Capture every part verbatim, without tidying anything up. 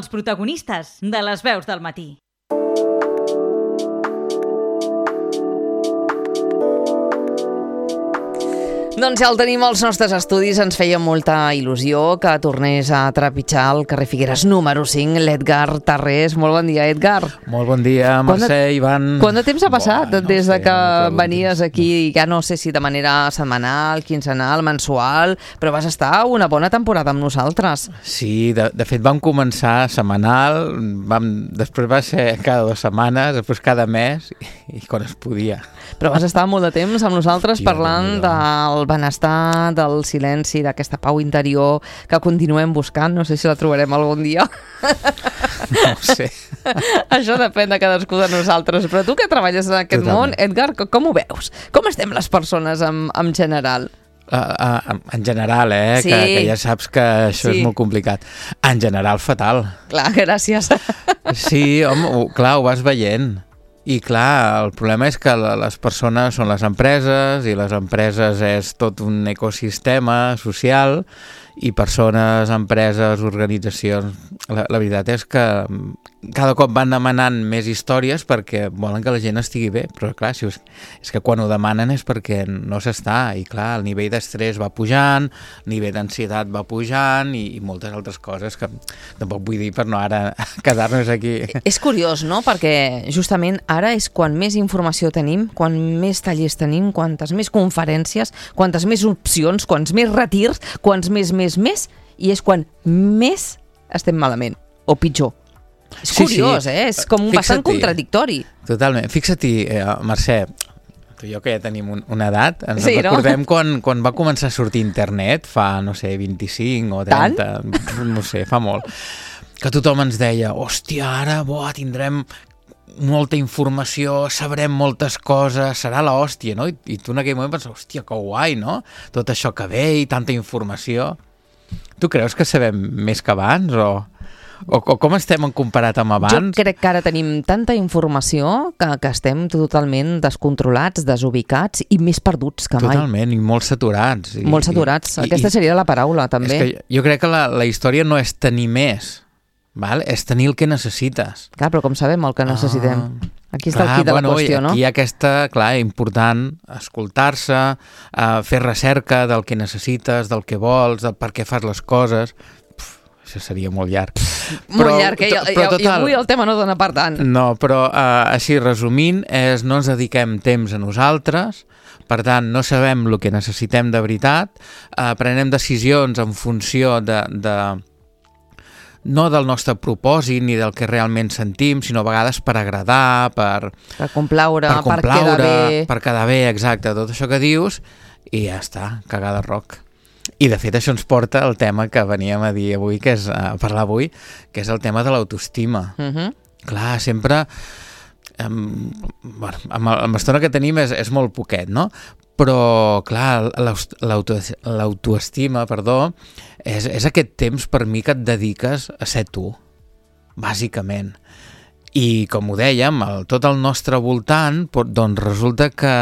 Els protagonistes de les veus del matí. Doncs ja el tenim als nostres estudis. Ens feia molta il·lusió que tornés a trepitjar el carrer Figueres número cinc, l'Edgar Tarrés. Molt bon dia, Edgar. Molt bon dia, Mercè, de, Ivan. Quant de temps ha passat bueno, des no de sé, que no venies aquí, ja no sé si de manera setmanal, quinzenal, mensual, però vas estar una bona temporada amb nosaltres. Sí, de, de fet vam començar setmanal, vam, després va ser cada dues setmanes, després cada mes, i, i quan es podia. Però vas estar molt de temps amb nosaltres sí, parlant del benestar, del silenci, d'aquesta pau interior que continuem buscant. No sé si la trobarem algun dia. No ho sé. Això depèn de cadascú de nosaltres. Però tu que treballes en aquest Totalment. món, Edgar, com ho veus? Com estem les persones en, en general? Uh, uh, en general, eh? Sí. Que, que ja saps que això sí. és molt complicat. En general, fatal. Clar, gràcies. Sí, home, ho, clar, ho vas veient. I clar, el problema és que les persones són les empreses i les empreses és tot un ecosistema social i persones, empreses, organitzacions. La, la veritat és que cada cop van demanant més històries perquè volen que la gent estigui bé, però clar, si és, és que quan ho demanen és perquè no s'està, i clar, el nivell d'estrès va pujant, el nivell d'ansietat va pujant i, i moltes altres coses que tampoc vull dir per no ara quedar-nos aquí. És curiós, no? Perquè justament ara és quan més informació tenim, quan més tallers tenim, quantes més conferències, quantes més opcions, quants més retirs, quants més, més, més, i és quan més estem malament, o pitjor. És sí, curiós, sí. eh? És com Fixa-t'hi. bastant contradictori. Totalment. Fixa't-hi, eh, Mercè, tu i jo que ja tenim un, una edat, ens sí, recordem no? quan, quan va començar a sortir internet, fa, no sé, vint-i-cinc o trenta, Tant? no sé, fa molt, que tothom ens deia, hòstia, ara boah, tindrem molta informació, sabrem moltes coses, serà l'hòstia, no? I, i tu en aquell moment penses, hòstia, que guai, no? Tot això que ve i tanta informació. Tu creus que sabem més que abans o... O, o com estem en comparat amb abans? Jo crec que ara tenim tanta informació que, que estem totalment descontrolats, desubicats i més perduts que mai. Totalment, i molt saturats. I, molt saturats. I, Aquesta i, seria la paraula, també. És que jo crec que la, la història no és tenir més, val? És tenir el que necessites. Clar, però com sabem el que necessitem? Ah, aquí està clar, el quid de bueno, la qüestió, no? Aquí hi ha aquesta, clar, important escoltar-se, uh, fer recerca del que necessites, del que vols, del per què fas les coses. Això seria molt llarg. Molt però, llarg, eh? I, total, i avui el tema no dona per tant. No, però uh, així resumint, és no ens dediquem temps a nosaltres, per tant no sabem el que necessitem de veritat, uh, prenem decisions en funció de, de no del nostre propòsit ni del que realment sentim, sinó a vegades per agradar, per, per complaure, per, complaure, per quedar bé. Per quedar bé, exacte, tot això que dius, i ja està, cagada roc. I de fet això ens porta al tema que veníem a dir avui, que és a parlar avui, que és el tema de l'autoestima. Uh-huh. Clar, sempre amb, bueno, amb, amb l'estona que tenim és, és molt poquet, no? Però clar, l'auto, l'autoestima, perdó, és, és aquest temps per mi que et dediques a ser tu, bàsicament. I com ho dèiem, el, tot el nostre voltant, doncs resulta que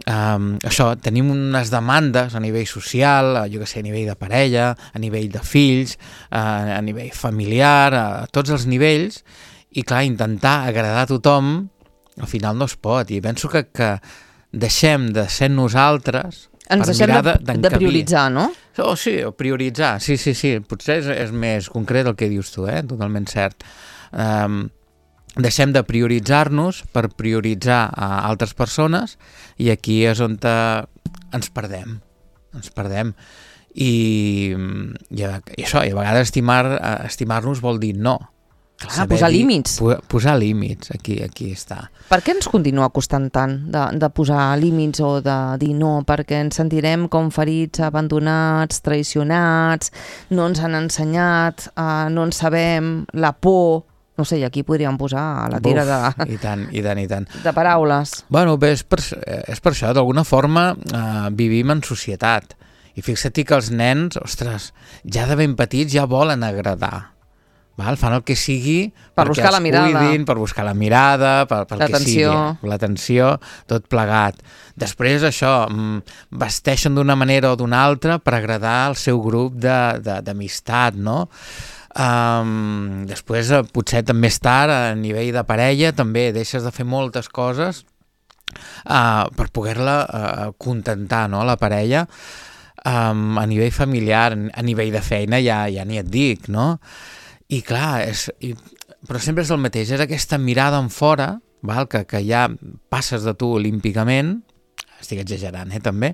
Um, això, tenim unes demandes a nivell social, jo que sé, a nivell de parella, a nivell de fills, uh, a nivell familiar, a tots els nivells, i clar, intentar agradar a tothom al final no es pot, i penso que, que deixem de ser nosaltres ens per deixem mirar de, de, de prioritzar, no? Oh, sí, prioritzar, sí, sí, sí, potser és, és més concret el que dius tu, eh? Totalment cert. Um, deixem de prioritzar-nos per prioritzar a altres persones i aquí és on ens perdem, ens perdem. I, i, i això, i a vegades estimar, estimar-nos vol dir no. Clar, posar dir, límits. Posar límits, aquí, aquí està. Per què ens continua costant tant de, de posar límits o de dir no? Perquè ens sentirem com ferits, abandonats, traicionats, no ens han ensenyat, uh, no en sabem, la por... No sé, i aquí podríem posar la tira de... Uf, i tant, i tant, i tant. De paraules. Bueno, bé, és per, és per això, d'alguna forma eh, vivim en societat. I fixa't que els nens, ostres, ja de ben petits ja volen agradar. Val? Fan el que sigui per buscar la mirada, cuidin, per buscar la mirada, per, per que sigui, l'atenció, tot plegat. Després això, vesteixen d'una manera o d'una altra per agradar al seu grup d'amistat, no? Um, després, uh, potser més tard, a nivell de parella, també deixes de fer moltes coses uh, per poder-la uh, contentar, no?, la parella. Um, a nivell familiar, a nivell de feina, ja, ja ni et dic, no? I clar, és, i, però sempre és el mateix, és aquesta mirada en fora, val? Que, que ja passes de tu olímpicament, estic exagerant, eh, també,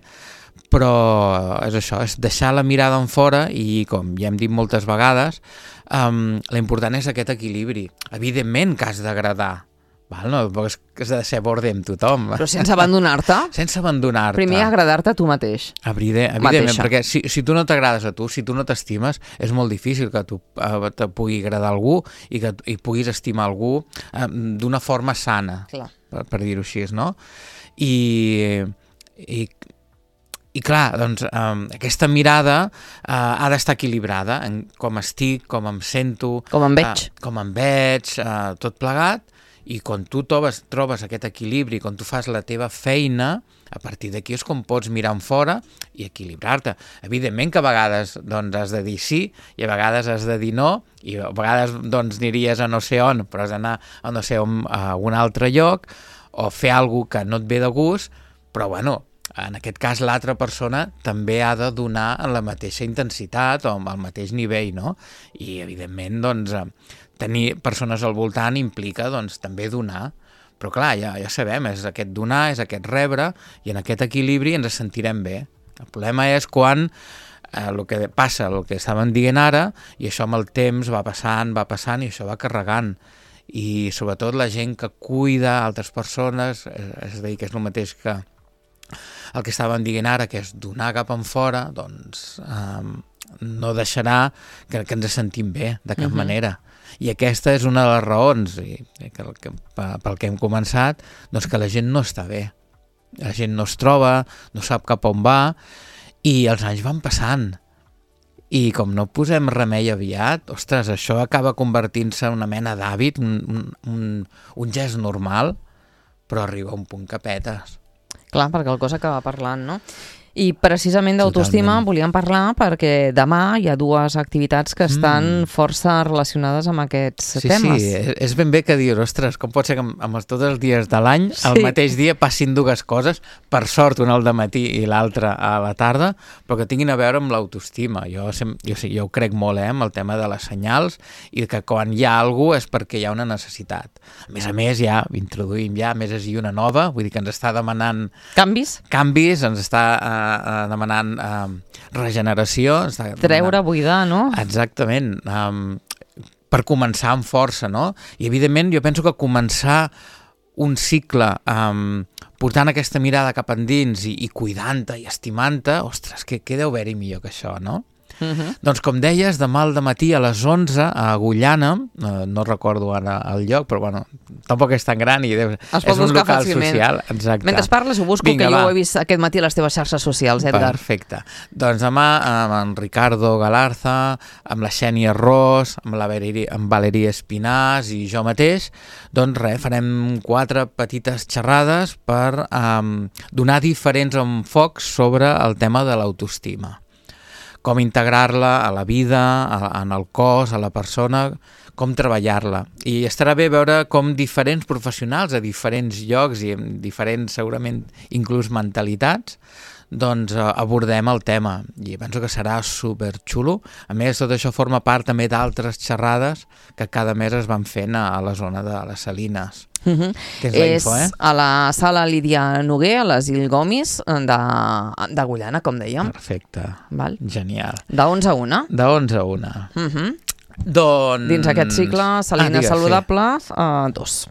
però és això, és deixar la mirada en fora i, com ja hem dit moltes vegades, um, l'important és aquest equilibri. Evidentment que has d'agradar, val? No és que has de ser borde amb tothom. Però sense abandonar-te. Sense abandonar-te. Primer agradar-te a tu mateix. Evident, evidentment, perquè si, si tu no t'agrades a tu, si tu no t'estimes, és molt difícil que tu uh, te pugui agradar a algú i que i puguis estimar algú uh, d'una forma sana, clar. per, per dir-ho així, no? I, i, i clar, doncs um, aquesta mirada uh, ha d'estar equilibrada en com estic, com em sento, com em veig, uh, com em veig, uh, tot plegat, i quan tu trobes, trobes aquest equilibri, quan tu fas la teva feina, a partir d'aquí és com pots mirar en fora i equilibrar-te. Evidentment que a vegades doncs, has de dir sí i a vegades has de dir no, i a vegades doncs, aniries a no sé on, però has d'anar a no sé on, a un altre lloc, o fer alguna que no et ve de gust, però bueno, en aquest cas l'altra persona també ha de donar en la mateixa intensitat o amb el mateix nivell, no? I evidentment, doncs, tenir persones al voltant implica doncs, també donar. Però clar, ja, ja sabem, és aquest donar, és aquest rebre, i en aquest equilibri ens sentirem bé. El problema és quan eh, el que passa, el que estàvem dient ara, i això amb el temps va passant, va passant, i això va carregant. I sobretot la gent que cuida altres persones, és a dir, que és el mateix que el que estàvem dient ara, que és donar cap en fora, doncs eh, no deixarà que, que ens sentim bé, de cap uh-huh. manera. I aquesta és una de les raons, i, que, que, pel que hem començat, doncs que la gent no està bé. La gent no es troba, no sap cap on va, i els anys van passant. I com no posem remei aviat, ostres, això acaba convertint-se en una mena d'hàbit, un, un, un gest normal, però arriba a un punt que petes. Clar, perquè el cos acaba parlant, no? I precisament d'autoestima volíem parlar perquè demà hi ha dues activitats que estan mm. força relacionades amb aquests sí, temes. Sí, sí, és ben bé que dius, ostres, com pot ser que amb, amb tots els dies de l'any, sí. el mateix dia passin dues coses, per sort una al dematí i l'altra a la tarda, però que tinguin a veure amb l'autoestima. Jo, jo, jo ho crec molt, eh, amb el tema de les senyals, i que quan hi ha alguna cosa és perquè hi ha una necessitat. A més a més, ja introduïm ja, a més és una nova, vull dir que ens està demanant... Canvis? Canvis, ens està... Eh, Uh, demanant uh, regeneració, treure, buidar, no? Exactament, um, per començar amb força, no? I evidentment jo penso que començar un cicle um, portant aquesta mirada cap endins i, i cuidant-te i estimant-te, ostres, què, què deu haver-hi millor que això, no? Uh-huh. Doncs com deies, demà al dematí a les onze a Agullana, no, no recordo ara el lloc, però bueno, tampoc és tan gran i deu, és un local fàcilment. Social. Exacte. Mentre parles ho busco, Vinga, que jo va. Ho he vist aquest matí a les teves xarxes socials, Edgar. Perfecte. Doncs demà amb en Ricardo Galarza, amb la Xènia Ros, amb la Valeria, amb Valeria Espinàs i jo mateix, doncs res, farem quatre petites xerrades per um, donar diferents enfocs sobre el tema de l'autoestima. Com integrar-la a la vida, a, en el cos, a la persona, com treballar-la. I estarà bé veure com diferents professionals a diferents llocs i amb diferents, segurament, inclús mentalitats, doncs abordem el tema. I penso que serà superxulo. A més, tot això forma part també d'altres xerrades que cada mes es van fent a, a la zona de les Salines. Uh-huh. Que és la és info, eh? A la sala Lídia Noguer, a l'Asil Gomis d'Agullana, com dèiem. Perfecte. Val. Genial. De onze a una. De onze a una. Uh-huh. Doncs... Dins aquest cicle, Salines ah, Saludables, sí. uh, dos.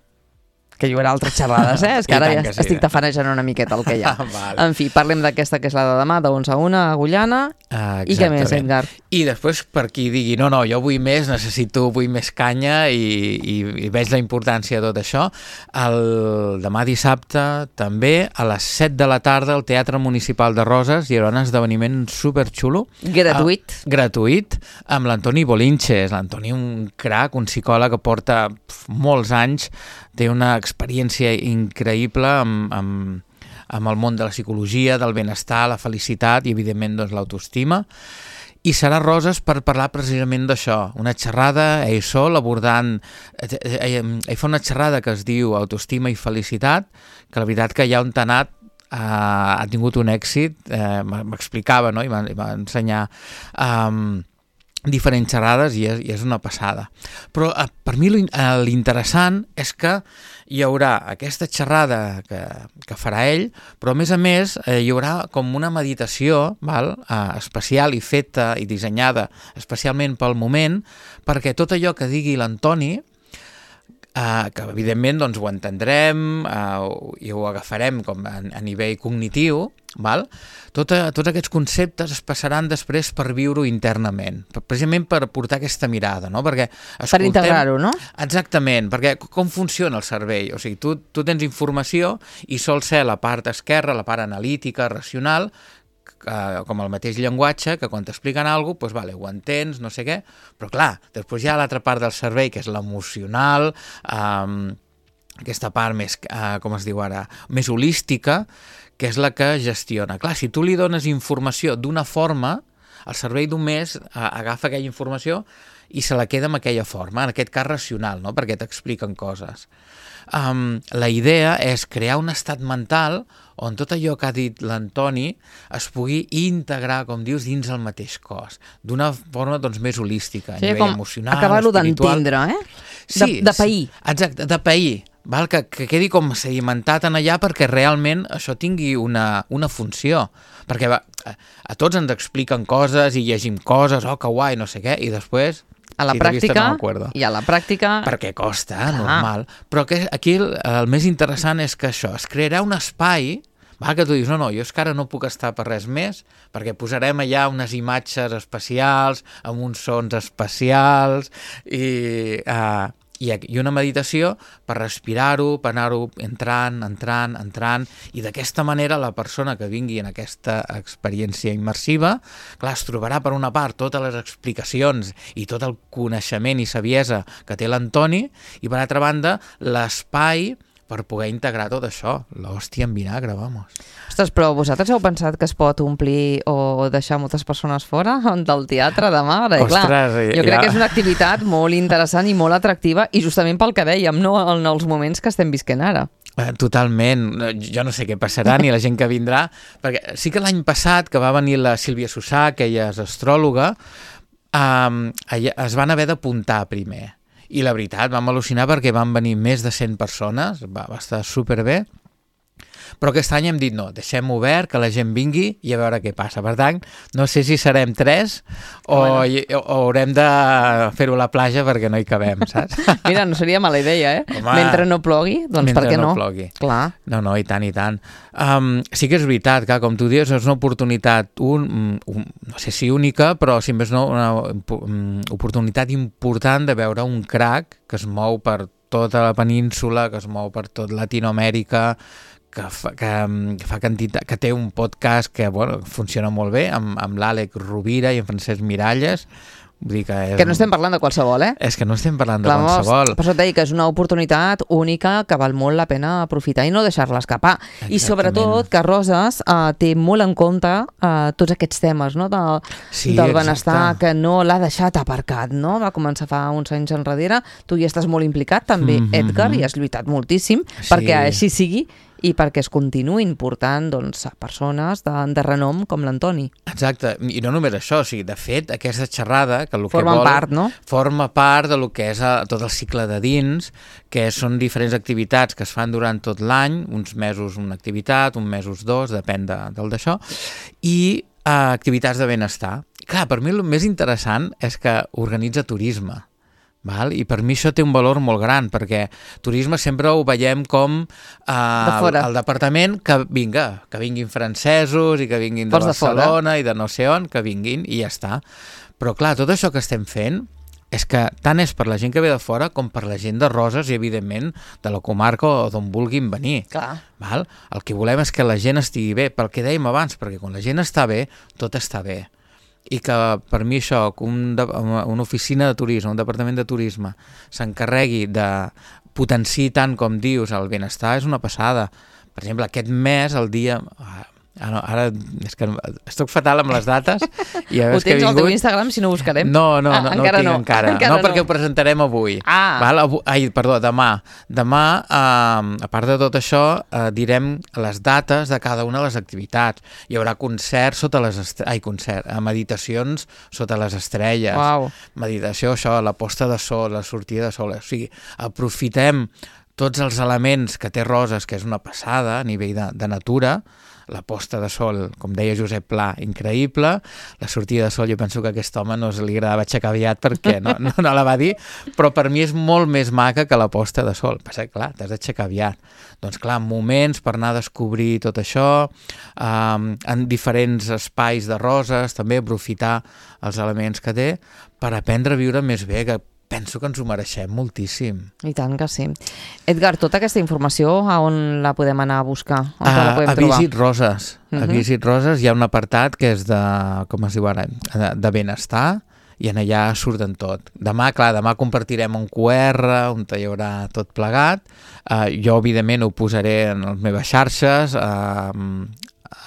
Que hi haurà altres xerrades, eh? És que ara ja que sí. estic tafanejant una miqueta el que hi ha. Vale. En fi, parlem d'aquesta que és la de demà, de onze a una, a Agullana. Ah, i què més, Edgar? I després, per qui digui, no, no, jo vull més, necessito, vull més canya i, i, i veig la importància de tot això, el demà dissabte també a les set de la tarda al Teatre Municipal de Roses hi haurà un esdeveniment superxulo. Gratuït. Uh, gratuït, amb l'Antoni Bolinches. L'Antoni, un crac, un psicòleg que porta pf, molts anys, té una experiència increïble amb, amb, amb el món de la psicologia, del benestar, la felicitat i, evidentment, doncs, l'autoestima. i serà Roses per parlar precisament d'això, una xerrada ell sol abordant, ell, ell fa una xerrada que es diu Autoestima i Felicitat, que la veritat que ja on t'ha anat uh, ha tingut un èxit, uh, m'explicava, no? I va, i va ensenyar um, diferents xerrades i és, i és una passada. Però uh, per mi l'interessant és que hi haurà aquesta xerrada que, que farà ell, però a més a més eh, hi haurà com una meditació, val? Uh, especial i feta i dissenyada especialment pel moment, perquè tot allò que digui l'Antoni, Uh, que evidentment doncs, ho entendrem uh, i ho agafarem com a, a nivell cognitiu, val? Tot, uh, tots aquests conceptes es passaran després per viure-ho internament, per, precisament per portar aquesta mirada, no? Perquè escoltem, per integrar-ho, no? Exactament, perquè com funciona el cervell? O sigui, tu, tu tens informació i sol ser la part esquerra, la part analítica, racional, com el mateix llenguatge, que quan t'expliquen alguna cosa, doncs, vale, ho entens, no sé què, però clar, després hi ha l'altra part del cervell, que és l'emocional, um, aquesta part més, uh, com es diu ara, més holística, que és la que gestiona. Clar, si tu li dones informació d'una forma, el cervell només uh, agafa aquella informació i se la queda amb aquella forma, en aquest cas racional, no? Perquè t'expliquen coses. Um, la idea és crear un estat mental on tot allò que ha dit l'Antoni es pugui integrar, com dius, dins el mateix cos, d'una forma doncs, més holística, sí, a nivell emocional, acabar-lo espiritual. d'entendre, eh? Sí, de, de pair. Exacte, de pair. Val? Que, que quedi com sedimentat en allà perquè realment això tingui una, una funció. Perquè va, a, a tots ens expliquen coses i llegim coses, oh, que guai, no sé què, i després... A la si pràctica, no i a la pràctica... Perquè costa, ah. normal. Però que aquí el, el més interessant és que això, es crearà un espai, va, que tu dius, no, no, jo és que ara no puc estar per res més, perquè posarem allà unes imatges especials, amb uns sons especials, i... Uh, I, i una meditació per respirar-ho, per anar-ho entrant, entrant, entrant, i d'aquesta manera la persona que vingui en aquesta experiència immersiva, clar, es trobarà per una part totes les explicacions i tot el coneixement i saviesa que té l'Antoni, i per altra banda l'espai per poder integrar tot això, l'hòstia en vinagre, vamos. Ostres, però vosaltres heu pensat que es pot omplir o deixar moltes persones fora del teatre demà? Perquè, Ostres, clar, jo crec ja... que és una activitat molt interessant i molt atractiva, i justament pel que dèiem, no en els moments que estem visquent ara. Totalment, jo no sé què passarà ni la gent que vindrà, perquè sí que l'any passat que va venir la Sílvia Sussà, que ella és astròloga, um, es van haver d'apuntar primer. I la veritat, vam al·lucinar perquè van venir més de cent persones, va, va estar superbé, però aquest any hem dit no, deixem obert, que la gent vingui i a veure què passa. Per tant, no sé si serem tres o, bueno. o, o haurem de fer-ho a la platja perquè no hi cabem, saps? Mira, no seria mala idea, eh? Home, mentre no plogui, doncs per què no? no plogui. Clar. No, no, i tant, i tant. Um, sí que és veritat, que com tu dius, és una oportunitat, un, un, no sé si única, però si més no, una um, oportunitat important de veure un crack que es mou per tota la península, que es mou per tot Latinoamèrica, que fa, que, que fa quantitat, que té un podcast que bueno, funciona molt bé, amb, amb l'Àlex Rovira i en Francesc Miralles. Vull dir que, és, que no estem parlant de qualsevol, eh? És que no estem parlant de Clar, qualsevol. Per això et deia que és una oportunitat única que val molt la pena aprofitar i no deixar-la escapar. Exactament. I sobretot que Roses uh, té molt en compte uh, tots aquests temes, no? de, sí, del benestar, exacte. que no l'ha deixat aparcat, no? Va començar fa uns anys enrere. Tu hi estàs molt implicat també, mm-hmm. Edgar, i has lluitat moltíssim sí. perquè així sigui i perquè es continuïn portant doncs, persones de, de renom com l'Antoni. Exacte, i no només això, o sigui, de fet, aquesta xerrada, que el forma que vol, part, no? forma part de lo que és a, tot el cicle de dins, que són diferents activitats que es fan durant tot l'any, uns mesos una activitat, uns mesos dos, depèn de, del d'això, i uh, activitats de benestar. Clar, per mi el més interessant és que organitza turisme. Val? I per mi això té un valor molt gran, perquè turisme sempre ho veiem com eh, el, el departament que vinga, que vinguin francesos i que vinguin de Barcelona i de no sé on, que vinguin i ja està. Però clar, tot això que estem fent és que tant és per la gent que ve de fora com per la gent de Roses i evidentment de la comarca o d'on vulguin venir. Clar. Val? El que volem és que la gent estigui bé, pel que dèiem abans, perquè quan la gent està bé, tot està bé. I que per mi això, que un de, una oficina de turisme, un departament de turisme s'encarregui de potenciar tant com dius el benestar és una passada. Per exemple, aquest mes, el dia, Ah, no, ara és que estic fatal amb les dates. I Ho tens al teu Instagram, si no ho buscarem? No, no, no, ah, no ho tinc no. encara. encara no, perquè ho presentarem avui. Ah. Val? Ai, perdó, demà. Demà, eh, a part de tot això, eh, direm les dates de cada una de les activitats. Hi haurà concerts sota les estrelles, ai, concert, eh, meditacions sota les estrelles. Uau. Meditació, això, la posta de sol, la sortida de sol. O sigui, aprofitem tots els elements que té Roses, que és una passada a nivell de, de natura, la posta de sol, com deia Josep Pla, increïble, la sortida de sol, jo penso que a aquest home no li agradava aixecar aviat perquè no, no, no la va dir, però per mi és molt més maca que la posta de sol. Passa que, clar, t'has d'aixecar aviat. Doncs, clar, moments per anar a descobrir tot això, um, en diferents espais de Roses, també aprofitar els elements que té per aprendre a viure més bé, que penso que ens ho mereixem moltíssim. I tant que sí. Edgar, tota aquesta informació, a on la podem anar a buscar? On A, la podem a trobar? Visit Roses. Uh -huh. A Visit Roses hi ha un apartat que és de, com es diu ara, de, de benestar, i en allà surten tot. Demà, clar, demà compartirem un Q R on hi haurà tot plegat. Uh, jo, evidentment, ho posaré en les meves xarxes. Uh,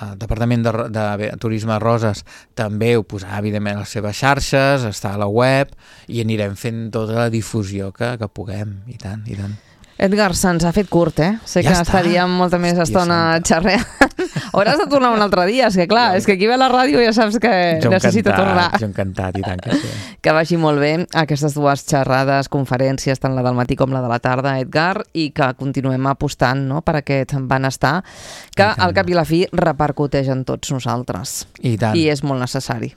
el Departament de, de, de Turisme de Roses també ho posarà, evidentment, a les seves xarxes, està a la web, i anirem fent tota la difusió que, que puguem, i tant, i tant. Edgar, se'ns ha fet curt, eh? Sé ja que està. estaríem molta més Hòstia estona santa. xerreant. Hauràs de tornar un altre dia, és que clar, Jo- és que aquí ve la ràdio i ja saps que Jo necessita encantat, tornar. Jo encantat, i tant que sí. Que vagi molt bé aquestes dues xerrades, conferències, tant la del matí com la de la tarda, Edgar, i que continuem apostant, no?, per aquest benestar que I tant. al cap i la fi repercuteix en tots nosaltres. I tant. I és molt necessari.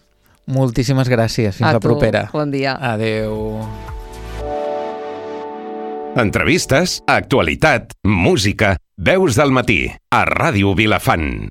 Moltíssimes gràcies. Fins A la tu. propera. Bon dia. Adeu. Entrevistes, actualitat, música, veus del matí, a Ràdio Vilafant.